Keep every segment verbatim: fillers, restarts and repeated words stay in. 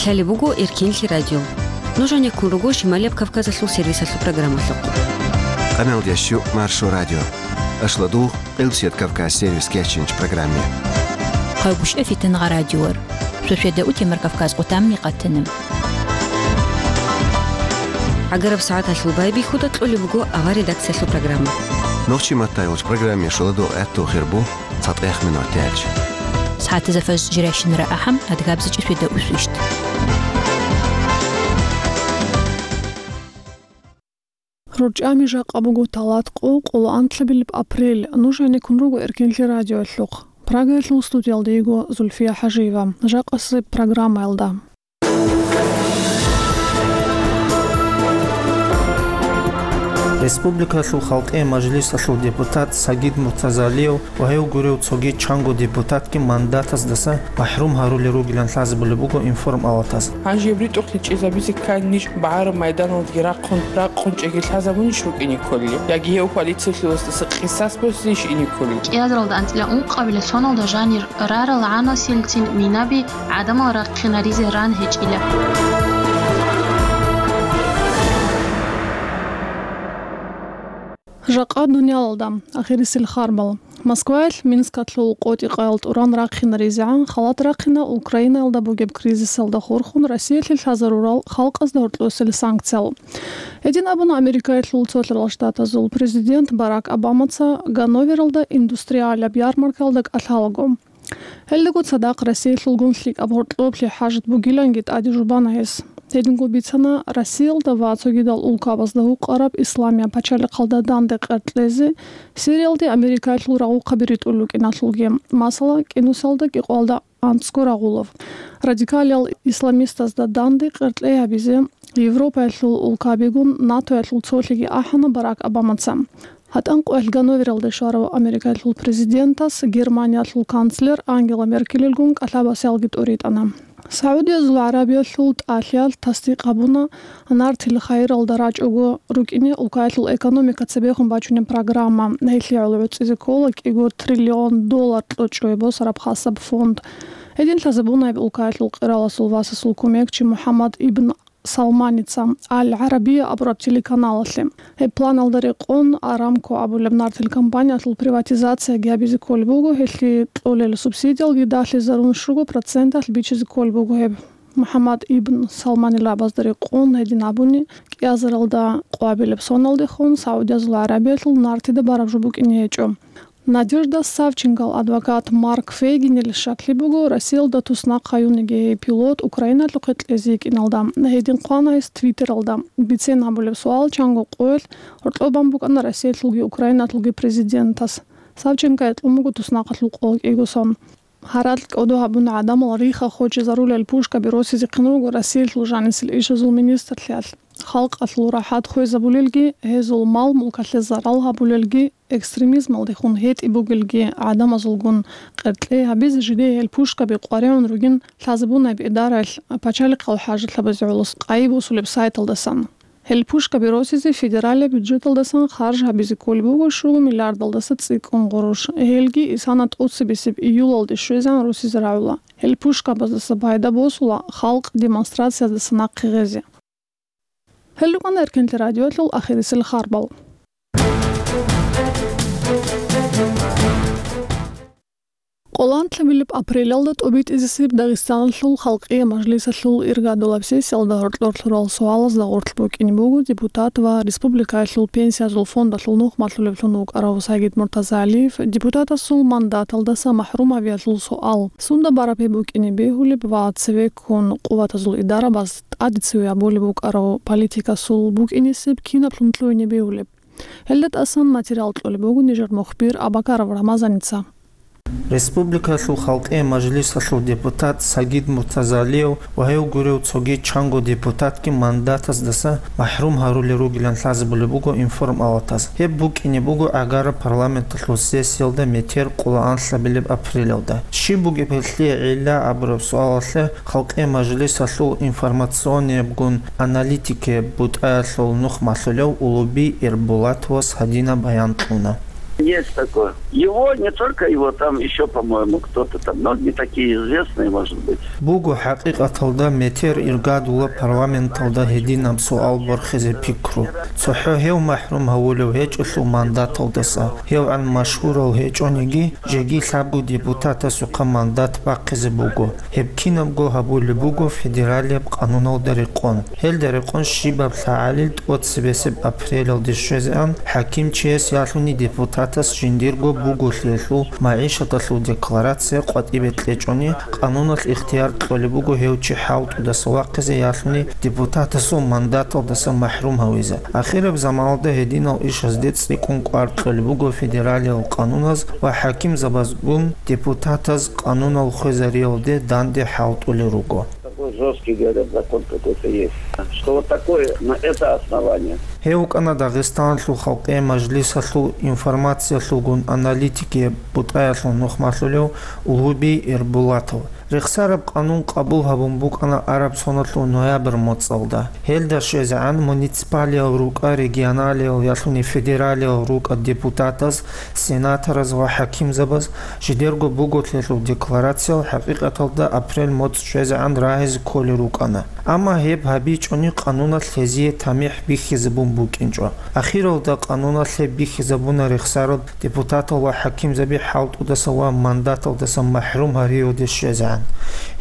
Лъалеб буго Эркенлъи радио. Нуж гьанеккун руго Шималияб Кавказалъул сервисалъул программалъухъ. Къаналдящу Маршо радио. Ашладугъ Къилбсият Кавказ сервис кечинч программе. Къайгушев Фитангъа радиор. Шошведа утемар Кавказ къутамни къатанам. ГӀагараб сагӀаталъул байбихьуда кьолеб буго авар редакциялъул программа. Нохчи маттайолч программе шоладугъ гӀатту хирбу цатӀех минут тяч. СагӀатаза фаз жиращинара ахӀам адгабзичӀи шведа усвищт. РорчӀами жакъа буго талат къо, къоло анлъабилеб апрель. Нуж гьанеккун руго Эркенлъи радиоялъухъ. Прагаялъул студиялда йиго Зульфия ХӀажиева. Жакъасеб программаялда. Республикалъул халкъи мажлисалъул депутат Сагид Муртазалиев ва гьев гурев цоги чанго депутатги мандатаздаса махӀрум гьарулел ругилан лъазабулеб буго информалатаз. Гьанже ритӀухълъи чӀезабизе ккани ниж багӀараб майданалдаги рахъун, ракъун чӀеги лъазабунищ рукӀине кколел? Яги гьев полициялъуласдаса къисас босизейищ ине кколел? КӀиазаралда анцӀила ункъабила соналда жанир рарал гӀанасилцин минаби гӀадамал рахъинаризе ран гьечӀила. Жакъа дуниялалда ахирисел харбал. Москваялъ Минскалъул къотӀи-къаял тӀуран рахъинаризегӀан халат рахъина Украинаялда бугеб кризисалда хурхун Россиялъе лъазарурал халкъазда гьоркьосел санкциял. Гьедин абуна Америкаялъул Цолъарал Штатазул президент Барак Обамаца Ганновералда индустриалаб ярмаркаялда кӀалъалаго. Гьелдаго цадахъ Россиялъулгун лъикӀаб гьоркьоблъи хӀажат бугиланги тӀаде жубана гьес. Гьединго бицана Россиялда ва цогидал улкабазда гьукъараб исламияб пачалихъалда данде къеркьлъезе, Сириялде Америкаялъул рагъухъаби ритӀулел рукӀиналъулги, масала, КӀинусалда кӀикъоялда анцӀго рагъулев. Радикалиял исламистазда данде къеркьей гьабизе Европаялъул улкабигун НАТОялъул цолъиги ахӀана Барак Обамаца. ГьатӀан къоялъ Ганновералде щварав Америкаялъул президентас Германиялъул канцлер Ангела Меркелилгун кӀалъабасиялги тӀуритӀана. СагӀудиязул ГӀарабиялъул тӀалъиялъ тасдикъ гьабуна, нартил хайиралда рачӀого рукӀине улкаялъул экономика цебехун бачунеб программа. Гьелъие гӀоло гӀуцӀизе ккола кӀиго триллион доллар кьучӀое босараб хасаб фонд. Гьедин лъазабуна гьеб улкаялъул къираласул васасул кумекчи МухӀаммад ибн Салманица Аль-ГӀарабия абураб телеканалалъе. Гьеб планалда рекъон Арамко абулеб нартил компаниялъул приватизацияги гьабизе кколеб буго, гьелъие кьолел субсидиялги далъизарун щуго проценталъ бичизе кколеб буго гьеб. МухӀаммад ибн Салманил рагӀабазда рекъон гьедин абуни, кӀиазаралда къоабилеб соналдехун СагӀудиязул ГӀарабиялъул нартида бараб жо букӀине гьечӀо. Надежда Савченкол адвокат Марк Фейгинил щаклъи буго, Россиялда туснахъ гьаюниги гьей пилот Украиналъухъе кьезе йикӀиналда. Гьедин хъвана гьес Твиттералда. Бицен гьабулеб суал чанго къоялъ гьоркьоб бан букӀана Россиялъулги Украиналъулги президентас. Савченкое кьун буго туснахъалъул къо кӀиго сон. Гьаракь кӀодо гьабуна гӀадамал рихха хочезарулел пушкаби росизехъин руго Россиялъул жанисел ишазул министрлъиялъ. Халкъалъул рахӀат хвезабулелги, гьезул мал-мулкалъе зарал гьабулелги, экстремизмалдехун гьетӀи бугелги гӀадамазулгун къеркьей гьабизе жидее гьел пушкаби къваригӀун ругин лъазабуна гьеб идараялъ пачалихъал хӀажатлъабазе гӀолос къайи босулеб сайталдасан. Гьел пушкаби росизе федералияб бюджеталдасан харж гьабизе кколеб буго щуго миллиардалдаса цӀикӀкӀун гъурущ. Гьелги исана тӀоцебесеб июлалде щвезегӀан росизе рагӀула. Гьел пушкабаздаса пайда босула халкъ демонстрациязда нахъе гъезе. Гьел рукӀана Эркенлъи радиоялъул ахирисел харбал. Къоло анлъабилеб апрелалда тӀобитӀизесеб Дагъистаналъул халкъие мажлисалъул иргадулаб сессиялда гьоркьор лъурал суалазда гъорлъ букӀине буго депутат ва республикаялъул пенсиязул фондалъул нухмалъулевлъун вукӀарав Сагид Муртазалиев депутатасул мандаталдаса махӀрум гьавиялъул суал. Сунда бараб гьеб букӀине бегьулеб ва цевеккун къуватазул идарабаз тӀаде цеве абулеб букӀарав политикасул букӀинесеб кинаблъун лъугьине бегьулеб? Гьелда тӀасан материал кьолеб буго нижер мухбир Абакаров Рамазаница. Республикалъул халкъие мажлисалъул депутат Сагид Муртазалиев ва гьев гурев цоги чанго депутатги мандатаздаса махӀрум гьарулел ругилан лъазабулеб буго информалатаз. Гьеб букӀине буго гӀагара парламенталъул сессиялда метер къоло анлъабилеб апрелалда. Щиб бугеб гьелъие гӀилла абураб суалалъе Халкъи мажлисалъул информационниябгун аналитикияб бутӀаялъул нухмалъулев Улуби Ирбулатовас гьадинаб баян кьуна. Есть такое. Его, не только его, там еще, по-моему, кто-то там, многие такие известные, может быть. Буго хӀакъикъаталда метер иргадула парламенталда гьединаб суал борхизе пикру. ЦохӀо гьев махӀрум гьавулев гьечӀолъул мандаталдаса, гьевгӀан машгьурал гьечӀониги, жеги лъабго депутатасухъа мандат бахъизе буго. Гьеб кинабго гьабулеб буго федералияб къануналда рекъон. Гьелда рекъон щибаб лъагӀалил тӀоцебесеб апрелалде щвезегӀан хӀакимчияс ялъуни депутатас жиндирго буголъиялъул магӀишаталъул декларация къватӀибе кьечӀони, къануналъ ихтияр кьолеб буго гьев чи хӀалтӀудаса вахъизе ялъуни депутатасул мандаталдаса махӀрум гьавизе. Ахираб заманалда гьединал ишазде цӀикӀкӀун кӀвар кьолеб буго федералиял къануназ ва хӀакимзабазгун депутатаз къанунал хвезариялде данде хӀалтӀулел руго. Такой жёсткий, говорят, закон какой-то есть, что вот такое, на это основание. Гьев вукӀана Дагъистаналъул халкъе мажлисалъул информациялъулгун аналитикияб бутӀаялъул нухмалъулев Улгьуби Эрбулатов. Рехсараб къанун къабул гьабун букӀана араб соналъул ноябрь моцӀалда. Гьелда щвезегӀан муниципалиял рукӀа, регионалиял ялъуни федералиял рукӀа депутатаз, сенатораз ва хӀакимзабаз жидерго буголъиялъул декларациял хӀакъикъаталда апрель моцӀ щвезегӀан рагьизе кколел рукӀана. Амма гьеб гьабичӀони къануналъ гьезие тамихӀ бихьизабун букӀинчӀо. Ахиралда къануналъ гьеб бихьизабуна рехсараб депутатал ва хӀакимзаби хӀалтӀудаса ва мандаталдаса махӀрум гьариялде щвезегӀан.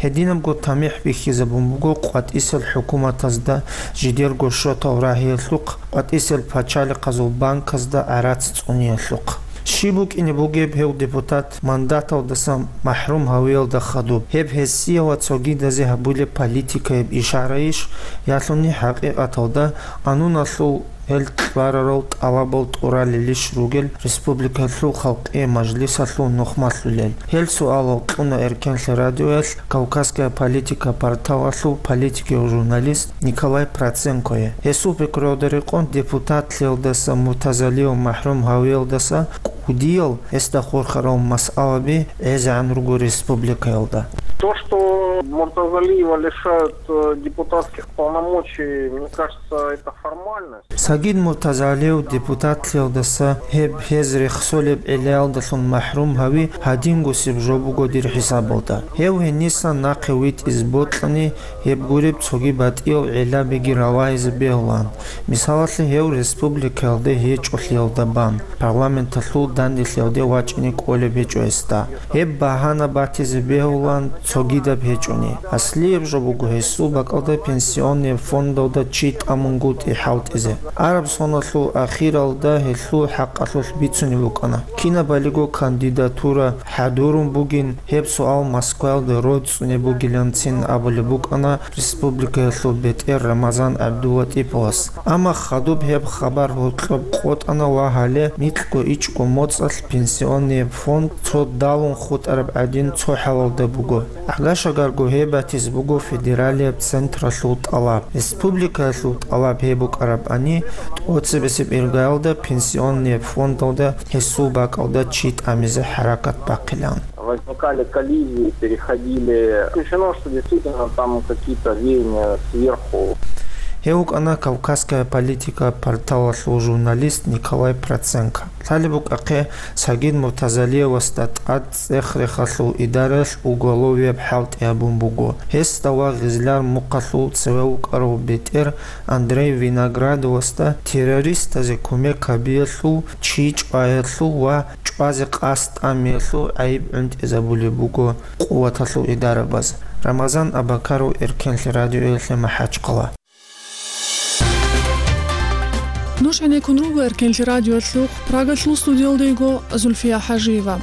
Гьединабго тамихӀ бихьизабун буго къватӀисел хӀукуматазда жидерго шотал рагьиялъухъ, къватӀисел пачалихъазул банказда гӀарац цӀуниялъухъ. Щиб букӀине бугеб гьев депутат мандаталдаса махӀрум гьавиялда хадуб? Гьеб гьесие ва цогидазе гьабулеб политикаяб ишарайищ, ялъуни хӀакъикъаталда къануналъул гьел кьварарал тӀалабал тӀуралелищ ругел республикалъул халкъие мажлисалъул нухмалъулел? Гьел суалал кьуна Эркенлъи радиоялъ Кавказская политика порталалъул политикияв журналист Николай Проценкое. Гьесул пикруялда рекъон депутатлъиялдаса Муртазалиев махӀрум гьавиялдаса кӀудиял гьесда хурхарал масъалаби гӀезегӀан руго республикаялда. То, что Муртазалиева лишают, э, депутатских полномочий, мне кажется, это формальность. Сагид Муртазалиев депутатлъиялдаса гьеб гьез рехсолеб гӀиллаялдалъун махӀрум гьави гьадингусеб жо буго дир хӀисабалда. Гьев гьенисан нахъе витӀизе бокьани, гьеб гуреб цоги батӀиял гӀиллабиги ралагьизе бегьулаан. Мисалалъе, гьев республикаялде гьечӀолъиялда бан, парламенталъул данделъиялде вачӀине кӀолеб гьечӀо гьесда. Гьеб багьана батизе бегьулаан цогидаб гьечӀони. Аслияб жо буго гьесул бакӀалда пенсионный фондалда чи тӀамунгутӀи хӀалтӀизе. Араб соналъул ахиралда гьелъул хӀакъалъулъ бицунеб букӀана. Кинабалиго кандидатура хӀадурун бугин, гьеб суал Москваялда рой цӀунеб бугиланцин абулеб букӀана республикаялъул бетӀер Рамазан ГӀабдуллатӀиповас. Амма хадуб гьеб хабар гьоркьоб къотӀана ва гьале микьго ичӀго моцӀалъ пенсионный фонд цо далун хутӀараб гӀадин цо хӀалалда буго. Агашагарго гьеб батизе буго федералияб централъул тӀалаб. Республикаялъул тӀалаб гьеб букӀарабани, тӀоцебесеб иргаялда пенсионный фондалда гьесул бакӀалда чи тӀамизе хӀаракат бахъилан. Возникали коллизии, переходили. Исключено, что действительно там какие-то веяния сверху. Гьев вукӀана «Кавказская политика» порталалъул журналист Николай Проценко. Лъалеб букӀахъе, Сагид Муртазалиевасда тӀад цӀех-рехалъул идараялъ уголовияб хӀалтӀи гьабун буго. Гьесда ва Гъизляр мухъалъул цеве вукӀарав бетӀер Андрей Виноградовасда террористазе кумек гьабиялъул, чи чӀваялъул ва чӀвазе къасд тӀамиялъул гӀайиб гӀунтӀизабулеб буго къуваталъул идарабаз. Рамазан Абакаров, Эркенлъи радиоялъе МахӀачхъала. Нуж гӀенеккун руго Эркенлъи радиоялъухъ, Прагалъул студиялда йиго Зульфия ХӀажиева.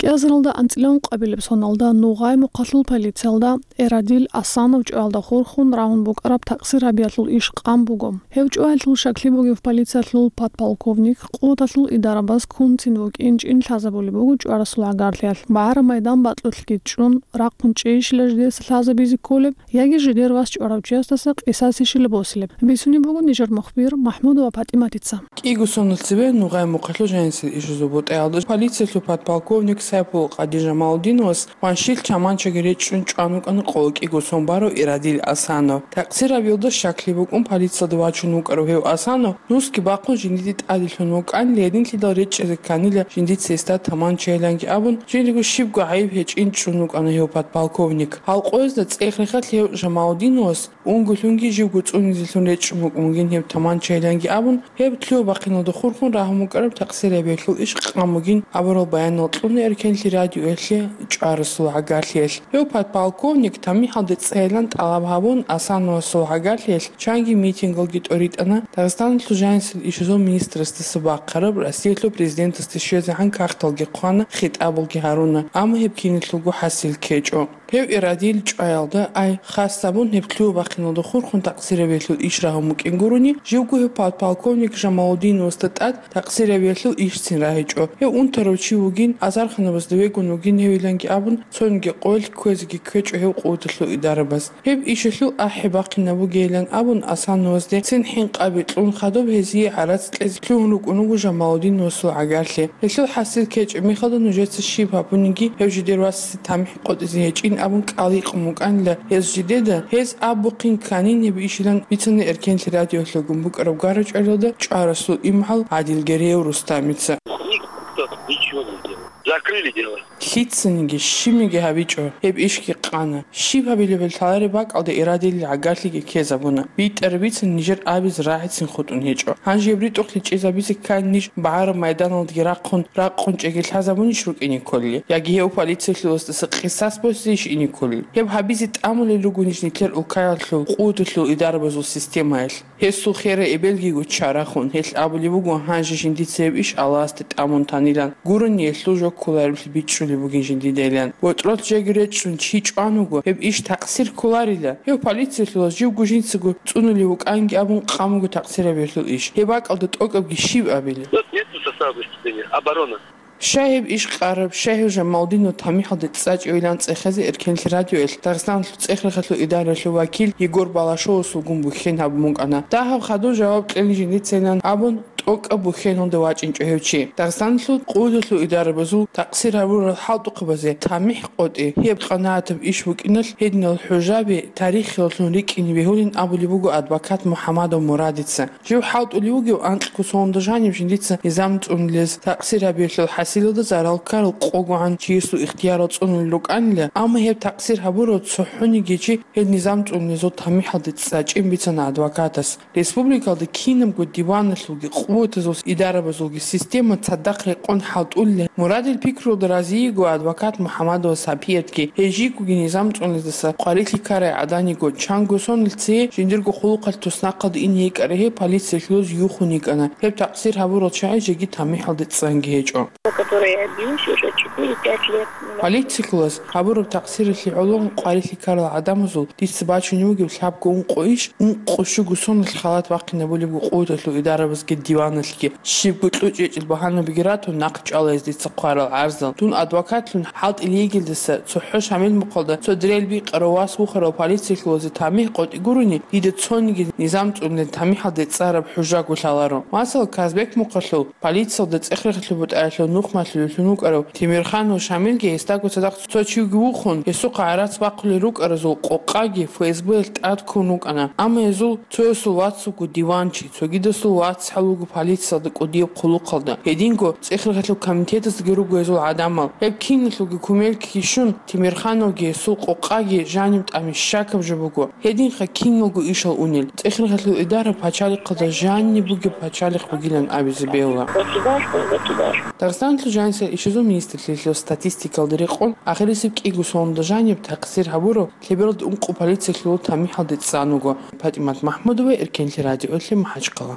КӀиазаралда анцӀила ункъабилеб соналда Нугъай мухъалъул полициялда Эрадил Асанов чӀваялда хурхун рагьун букӀараб такъсир гьабиялъул иш къан буго. Гьев чӀваялъул щаклъи бугев полициялъул подполковник къуваталъул идарабаз кунцин вукӀинчӀин лъазабулеб буго чӀварасул гӀагарлъиялъ. БагӀараб майдан батӀулъги чӀун, рахъун чӀейищила жидеса лъазабизе кколеб, яги жидер вас чӀварав чиясдаса къисасищила босилеб? Бицунеб буго нижер мухбир МахӀмудова ПатӀиматица. КӀиго соналъ цебе Нугъай мухъалъул жанисел ишазул бутӀаялда полициялъул подполковник Сайпул-Къади Жамалудиновас ванщил чаманчаги речӀчӀун чӀван вукӀана къоло кӀиго сон барав Ирадил Асанов. Такъсир гьабиялда щаклъи букӀун полициялде вачун вукӀарав гьев Асанов нусги бахъун жиндие тӀаде лъун вукӀанила, гьединлъидал речӀчӀизе кканила жиндица гьесда таманчайиланги абун, жиндирго щибго гӀайиб гьечӀин чӀун вукӀана гьев подполковник. Гьал къоязда цӀех-рехалъ гьев Жамалудиновас унгулъунги живго цӀунизелъун речӀчӀун вукӀун вугин гьеб таманчайиланги абун, гьеб лъугьа-бахъиналда хурхун рагьун вукӀараб такъсир гьабиялъул иш къан бугин абурал баянал кьуна Эркенлъи радиоялъе чӀварасул гӀагарлъиялъ. Гьев подполковник тамихӀалде цӀцӀайилан тӀалаб гьабун, Асановасул гӀагарлъиялъ чанги митингалги тӀоритӀана Дагъистаналъул жанисел ишазул министрасдаса бахъараб Россиялъул президентасде щвезегӀан кагъталги хъвана, хитӀабалги гьаруна, амма гьеб киналъулго хӀасил ккечӀо. Гьев Ирадил чӀваялда, ай, хас гьабун, гьеб лъугьа-бахъиналда хурхун такъсир гьабиялъул иш рагьун букӀин гурони, живго гьев подполковник Жамалудиновасда тӀад такъсир гьабиялъул ишцин рагьичӀо. Гьев унтарав чи вугин, азарханабазда вегун вугин гьевиланги абун, цониги къоялъ кквезеги кквечӀо гьев къуваталъул идарабаз. Гьеб ишалъул ахӀи бахъинаб бугейилан абун, Асановазде цин хӀинкъаби кьун хадуб гьезие гӀарац кьезе лъугьун рукӀун вуго Жамалудиновасул гӀагарлъи. Гьелъул хӀасил ккечӀеб мехалда нужеца щиб гьабуниги, гьев жидер васасе тамихӀ къотӀизе гьечӀин абун кӀал гьикъун букӀанила гьез жидеда, гьез абухъин кканин гьеб ишилан бицана Эркенлъи радиоялъ гун букӀараб гара-чӀваралда чӀварасул имгӀал ГӀадил Гереев Рустамица. Никто ничего не сделал. Закрыли дело. Лъицаниги щибниги гьабичӀо, гьеб ишги къана. Щиб гьабилебали лъалареб бакӀалда Ирадилил гӀагарлъиги ккезабуна. БитӀараб бицани нижер абизе рагӀицин хутӀун гьечӀо. Гьанже гьеб ритӀухълъи чӀезабизе ккани ниж багӀараб майданалдаги рахъун, ракъун чӀеги лъазабунищ рукӀине кколел? Яги гьев полициялъуласдаса къисас босизейищ ине кколел? Гьеб гьабизе тӀамулел руго ниж нилъер улкаялъул къуваталъул идарабазул системаялъ. Гьесул херай эбелгиго чарахун, гьелъ абулеб буго, гьанже жиндица гьеб иш Аллагьасде тӀамун танилан, гурони гьелъул жо кколареблъи бичӀчӀулеб бугин жиндидайилан. БотӀролъ жеги речӀчӀун чи чӀван вуго, гьеб иш такъсир кколарила. Гьев полициялъулас живго жинцаго цӀунулев вукӀанги абун къан буго такъсир гьабиялъул иш. Гьеб бакӀалда тӀокӀабги щиб абилеб? Тут нет состава преступления. Оборона. Щай гьеб иш къараб, щай гьев Жамалудинов тамихӀалде цӀцӀачӀевилан цӀехезе Эркенлъи радиоялъ Дагъистаналъул цӀех-рехалъул идараялъул вакил Егор Балашовасулгун бухьен гьабун букӀана. Дагьаб хадуб жаваб кьелин жиндицайилан абун, тӀокӀаб бухьеналде вачӀинчӀо гьев чи. Дагъистаналъул къуваталъул идарабазул такъсир гьабурал хӀалтӀухъабазе тамихӀ къотӀи, гьеб къанагӀатаб иш букӀиналъ гьединал хӀужаби тарихиялъун рикӀкӀине бегьулин абулеб буго адвокат МухӀамадов Мурадица. Жив хӀалтӀулев вугев анкьго соналда жанив жиндица низам цӀунулез, такъсир гьабиялъул хӀасилалда зарал ккарал къогогӀан чиясул ихтиярал цӀунулел рукӀанила, амма гьеб такъсир гьабурав цохӀониги чи гьел низам цӀунулезул тамихӀалде цӀцӀачӀин бицана адвокатас. Республикалда кинабго диваналъулги къуватазул идарабазулги система цадахъ рекъон хӀалтӀулел мурадил пикруялда разиего адвокат МухӀамадова Сапиятги, гьей жийгоги низам цӀунулездаса къварилъи ккарай гӀаданиго, чанго сонил цее жиндирго хъулухъалъ туснахъалде ине йикӀарай гьей полициялъулаз юхун йикӀана. Гьеб такъсир гьабурал чагӀи жеги тамихӀалде цӀцӀанги гьечӀо. Который я бьюсь уже четыре-пять лет. Полициялъулаз гьабураб такъсиралъе гӀоло къварилъи ккарал гӀадамазул дица бачунеб бугеб лъабго ункъо иш, ункъо щуго сонал халат бахъинабулебго къуваталъул идарабазги диваналъги. Щибго кьучӀ-гьечӀел багьанабиги ратун, нахъ чӀвала гьез дица хъварал гӀарзал. Дун адвокатлъун хӀалтӀулев йигелдаса цохӀо Шамил мухъалда цо дирел бикъарав вас вухарав полициялъулазе тамихӀ къотӀи гурони, дида цониги низам цӀунулел тамихӀалде цӀцӀараб хӀужаго лъаларо. Масала, Казбек мухъалъул полициялда цӀех-рехалъул бутӀаялъул нухмалъулевлъун вукӀарав Темирханов Шамилги гьесдаго цадахъ цо чивги вухун, гьесухъа гӀарац бахъулел рукӀаразул къокъаги ФСБ-ялъ тӀад ккун вукӀана. Амма гьезул цоясул вацавго диванчи, цогидасул вацгӀал вуго полициялда кӀудияб хъулухъалда. Гьединго цӀех-рехалъул комитетаздаги руго гьезул гӀадамал. Гьеб киналъулги кумек ккечӀун, Темирхановги гьесул къокъаги жаниб тӀамиша щакаб жо буго. Гьединха киналго ишал унел. ЦӀех-рехалъул идара пачалихъалда жаниб бугеб пачалихъ бугилан абизе бегьула. Государство, государство. Дагъистаналъул жанисел ишазул министрлъиялъул статистикалда рекъон, ахирисеб кӀиго соналда жаниб такъсир гьабурав лъебералда ункъо полициялъул тамихӀалде цӀцӀан вуго. ПатӀимат МахӀмудова, Эркенлъи радиоялъе, МахӀачхъала.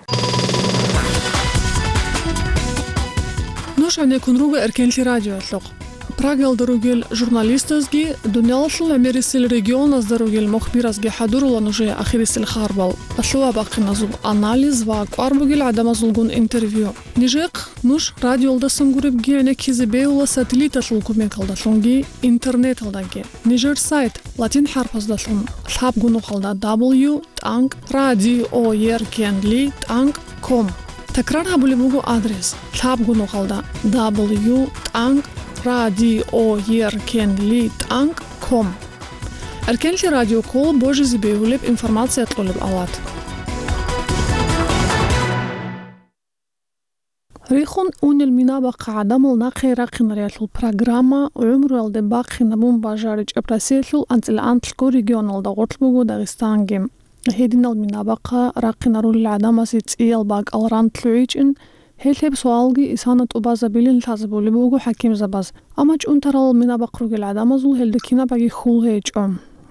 Нуж гьанеккун руго Эркенлъи радиоялъухъ. Прагаялда ругел журналистазги, дуниялалъул гӀемерисел регионазда ругел мухбиразги хӀадурула нужее ахирисел харбал, лъугьа-бахъиназул анализ ва кӀвар бугел гӀадамазулгун интервью. Нижехъ нуж радиоялдасан гуребги гӀенеккизе бегьула сателлиталъул кумекалдалъунги интернеталдаги. Нижер сайт латин хӀарпаздалъун лъабго нухалда W тӀанкӀ радиоеркенли тӀанкӀ ком. Такрар гьабулеб буго адрес: лъабго нухалда W тӀанкӀ радиоеркенли тӀанкӀ ком. Эркенлъи радио ккола божизе бегьулеб информация кьолеб алат. Рихун унел мина бахъа гӀадамал нахъе рахъинариялъул программа гӀумруялде бахъинабун бажаричӀеб Россиялъул анцӀила анлъго регионалда гъорлъ буго Дагъистанги. Гьединал мина бахъа рахъинарулел гӀадамасе цӀиял бакӀал ран лъугӀичӀин, гьелъ гьеб суалги исана тӀубазабилин лъазабулеб буго хӀакимзабаз. Амма чӀунтарал мина бахъ ругел гӀадамазул гьелда кинабаги хьул гьечӀо.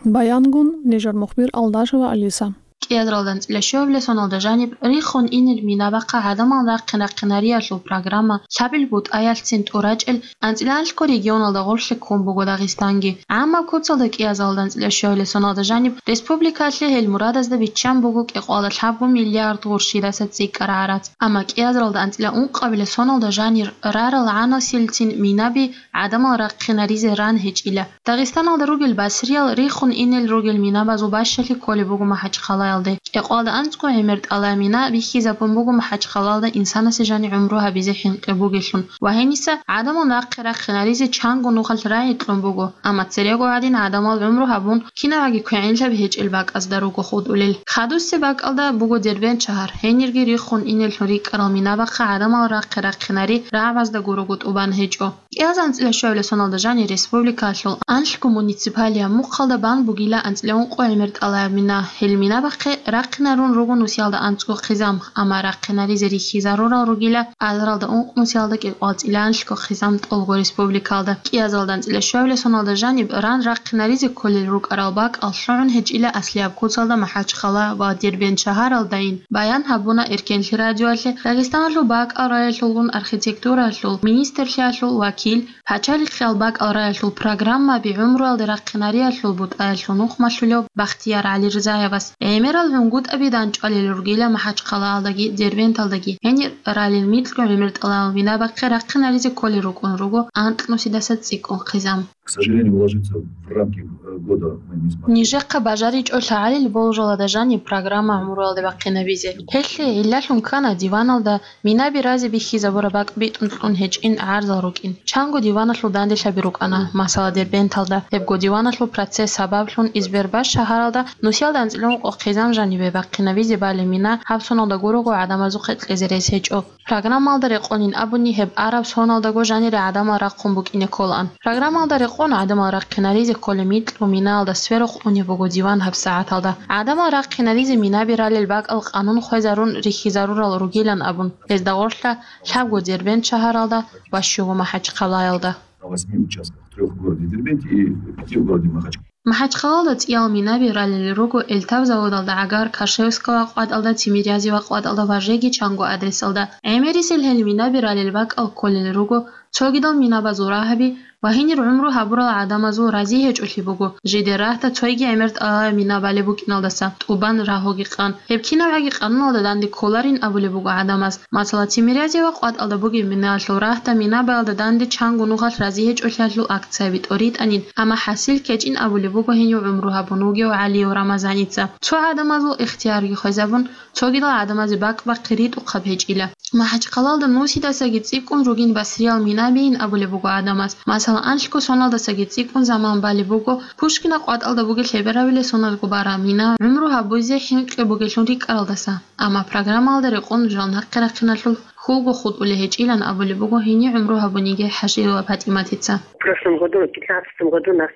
Баянгун нижер мухбир Алдашева Алиса. КӀиазаралда анцӀила щуабилеб соналда жаниб рихун инел мина бахъа гӀадамал рахъин-рахъинариялъул программа лъабил бутӀаялъцин тӀурачӀел анцӀила анлъго регионалда гъорлъе ккун буго Дагъистанги. ГӀаммаб куцалда кӀиазаралда анцӀила щуабилеб соналда жаниб республикалъе гьел мурадазда биччан буго кӀикъоялда лъабго миллиард гъурщидаса цӀикӀкӀараб гӀарац. Амма кӀиазаралда анцӀила ункъабилеб соналда жанир рарал гӀанасилцин минаби гӀадамал рахъинаризе ран гьечӀила. Дагъистаналда ругел басриял рихун инел ругел минабазул бащалъи кколеб буго МахӀачхъалаялде. КӀикъоялда анцӀго гӀемер тӀалаб мина бихьизабун буго МахӀачхъалаялда инсанасе жани гӀумру гьабизе хӀинкъи бугелъун ва гьениса гӀадамал нахъе рахъинаризе чанго нухалъ рагӀи кьун буго, амма церего гьадин гӀадамал гӀумру гьабун кинабаги квегӀинлъаби гьечӀел бакӀазда руго хутӀулел. Хадусеб бакӀалда буго Дербент шагьар, гьенирги рихун инеллъун рикӀкӀарал мина бахъа гӀадамал рахъе рахъинари рагӀабазда гурого тӀубан гьечӀо. КӀиазаралда анцӀила щуабилеб соналда жанир республикалъул анлъго муниципалияб мухъалда бан бугила анцӀила ункъо гӀемер тӀалаб мина. Гьел мина бахъе рахъинарун руго нусиялда анцӀго хъизан, амма рахъинаризе рихьизарурал ругила азаралда ункъ нусиялда кӀикъоялда анцӀила анлъго хъизан тӀолго республикалда. КӀиазаралда анцӀила щуабилеб соналда жаниб ран рахъинаризе кколел рукӀарал бакӀал лъугӀун гьечӀила аслияб куцалда МахӀачхъала ва Дербент шагьаралдайин, баян гьабуна Эркенлъи радиоялъе Дагъистаналъул бакӀал раялъулгун архитектуралъул министрлъиялъул вакил, пачалихъиял бакӀал раялъул программаби гӀумруялде рахъинариялъул бутӀаялъул нухмалъулев Бахтияр ГӀалирзаевас. ГӀемерал гӀунгутӀаби данчӀвалел ругила МахӀачхъалаялдаги Дербенталдаги. Гьенир ралел микьго гӀемер тӀалаб мина бахъе рахъинаризе кколел рукӀун руго анкьнусидаса цӀикӀкӀун хъизан. К сожалению, уложиться в рамки, э, года мы не смогли. Нижехъа бажаричӀо лъагӀалил болжалада жаниб программа гӀумруялде бахъинабизе. Гьелъие гӀиллалъун ккана диваналда минаби разе бихьизабураб бакӀ битӀун кьун гьечӀин гӀарзал рукӀин. Чанго диваналъул данделъаби рукӀана, масала, Дербенталда. Гьебго диваналъул процесс сабаблъун Избербаш шагьаралда нусиялда анцӀила ункъо хъизан жанибе бахъинабизе балеб мина гьаб соналда гурого гӀадамазухъе кьезе рес гьечӀо. Программалда рекъонин абуни, гьеб араб соналдаго жанире гӀадамал рахъун букӀине кколаан. Программалда рекъон гӀадамал рахъинаризе кколеб микьго минаялда сверухъ унеб буго диван гьабсагӀаталда. ГӀадамал рахъинаризе минаби ралел бакӀал къанун хвезарун рихьизарурал ругилан абун, гьезда гъорлъа лъабго Дербент шагьаралда ва щуго МахӀачхъалаялда. На восьми участках, трёх в городе Дербенте и пяти в городе Махачкала. МахӀачхъалалда цӀиял минаби ралел руго Эльтав заводалда гӀагар, Кашевского къватӀалда, Тимирязева къватӀалда ва жеги чанго адресалда. ГӀемерисел гьел минаби ралел бакӀал кколел руго цогидал минабазул рагьаби ва гьенир гӀумру гьабурал гӀадамазул рази гьечӀолъи буго, жидер рагьда цойги гӀемер тӀалаб мина балеб букӀиналдаса тӀубан рагьуги къан. Гьеб кинабгӀаги къануналда данде кколарин абулеб буго гӀадамаз. Масала, Тимирязева къватӀалда бугеб минаялъул рагьда минабаялда данде чанго нухалъ рази гьечӀолъиялъул акцияби тӀоритӀанин, амма хӀасил ккечӀин абулеб буго гьенив гӀумру гьабун вугев ГӀалиев Рамазаница. Цо гӀадамазул ихтиярги хвезабун, цогидал гӀадамазе бакӀ бахъи ритӀухъаб гьечӀила. МахӀачхъалалда нусидасаги цӀикӀкӀун ругин басриял минабийин абулеб буго гӀадамаз. Масала, анлъго соналдасаги цӀикӀкӀун заман балеб буго Пушкина къватӀалда бугеб лъеберабилеб соналго бараб мина гӀумру гьабизе хӀинкъи бугелъун рикӀкӀаралдаса. Амма программалда рекъон жал нахъе рахъиналъул хьулго хутӀулей гьечӀилан абулеб буго гьенив гӀумру гьабуниги ХӀажиева ПатӀиматица. В прошлом году, в пятнадцатом году нас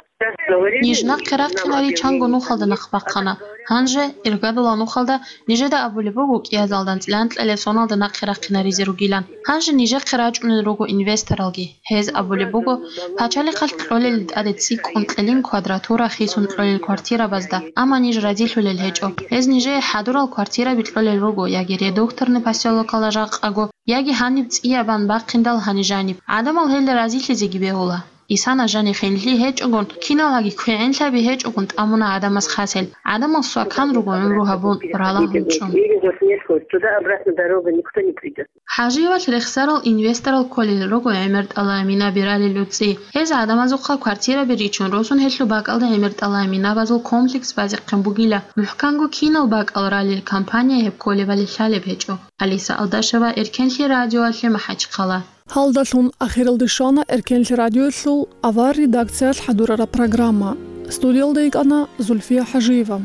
Ниж нахъе рахъинари чанго нухалда нахъ бахъана. Гьанже, иргадулал нухалда, нижеда абулеб буго кӀиазалда анцӀила анкьабилеб соналда нахъе рахъинаризе ругилан. Гьанже нижехъе рачӀунел руго инвесторалги. Гьез абулеб буго, пачалихъалъ кьолел тӀаде цӀикӀкӀун кьелин квадратура хисун кьолел квартирабазда, амма ниж разилъулел гьечӀо. Гьез нижее хӀадурал квартираби кьолел руго яги Редукторный посёлокалда жакъаго, яги гьаниб цӀияб бан бахъиндал гьаниб жаниб. ГӀадамал гьелда разилъизеги бегьула. Исана жани хинлъи гьечӀогун, киналгӀаги квегӀинлъаби гьечӀогун тӀамуна гӀадамаз хасел. ГӀадамал свакан руго гӀумру гьабун, ралагьун чӀун. Или вот нет, хоть туда-обратно дорога, никто не придет. ХӀажиевалъ рехсарал инвесторал кколел руго гӀемер тӀалаб минаби ралел уцӀи. Гьез гӀадамазухъа квартираби ричун росун гьелъул бакӀалда гӀемер тӀалаб минабазул комплекс базехъин бугила. МухӀканго кинал бакӀал ралел компания гьеб кколебали лъалеб гьечӀо. Алиса Алдашева, Эркенлъи радиоялъе, МахӀачхъала. Гьалдалъун ахиралде щвана Эркенлъи радиоялъул авар редакциялъ хӀадурараб программа. Студиялда йикӀана Зульфия ХӀажиева.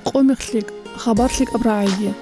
Къо мех лъикӀ, хабар лъикӀаб рагӀиги.